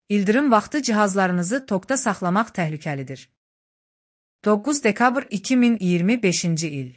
İldırım vaxtı cihazlarınızı tokda saxlamaq təhlükəlidir. 9 dekabr 2025-ci il.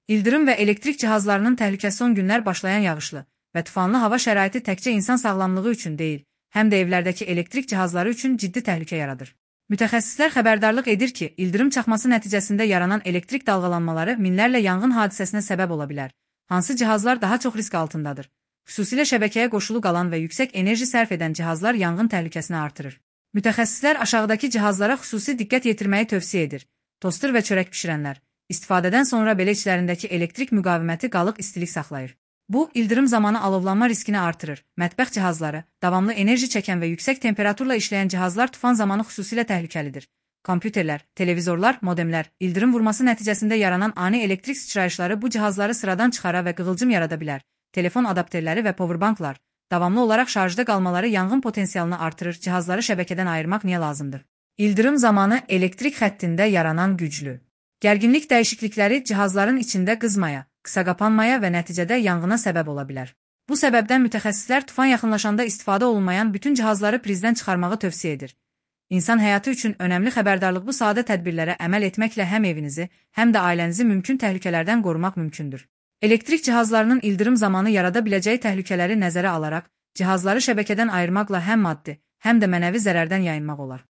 İldırım və elektrik cihazlarının təhlükəsi son günlər başlayan yağışlı və tufanlı hava şəraiti təkcə insan sağlamlığı üçün deyil, həm də evlərdəki elektrik cihazları üçün ciddi təhlükə yaradır. Mütəxəssislər xəbərdarlıq edir ki, ildırım çaxması nəticəsində yaranan elektrik dalğalanmaları minlərlə yanğın hadisəsinə səbəb ola bilər. Hansı cihazlar daha çox risk altındadır? Xüsusilə şəbəkəyə qoşulu qalan və yüksək enerji sərf edən cihazlar yanğın təhlükəsini artırır. Mütəxəssislər aşağıdakı cihazlara xüsusi diqqət yetirməyi tövsiyə edir. Toster və çörək bişirənlər. İstifadədən sonra belə içlərindəki elektrik müqaviməti qalıq istilik saxlayır. Bu, ildırım zamanı alovlanma riskini artırır. Mətbəx cihazları, davamlı enerji çəkən və yüksək temperaturla işləyən cihazlar tufan zamanı xüsusilə təhlükəlidir. Kompüterlər, televizorlar, modemlər, ildırım vurması nəticəsində yaranan ani elektrik sıçrayışları bu cihazları sıradan çıxara və qığılcım yarada bilər. Telefon adapterləri və powerbanklar, davamlı olaraq şarjda qalmaları yanğın potensialını artırır. Cihazları şəbəkədən ayırmaq niyə lazımdır? İldırım zamanı elektrik xəttində yaranan güclü gərginlik dəyişiklikləri cihazların içində qızmaya, qısa qapanmaya və nəticədə yanğına səbəb ola bilər. Bu səbəbdən mütəxəssislər tufan yaxınlaşanda istifadə olunmayan bütün cihazları prizdən çıxarmağı tövsiyə edir. İnsan həyatı üçün önəmli xəbərdarlıq bu sadə tədbirlərə əməl etməklə həm evinizi, həm də ailənizi mümkün təhlükələrdən qorumaq mümkündür. Elektrik cihazlarının ildırım zamanı yarada biləcəyi təhlükələri nəzərə alaraq, cihazları şəbəkədən ayırmaqla həm maddi, həm də mənəvi zərərdən yayınmaq olar.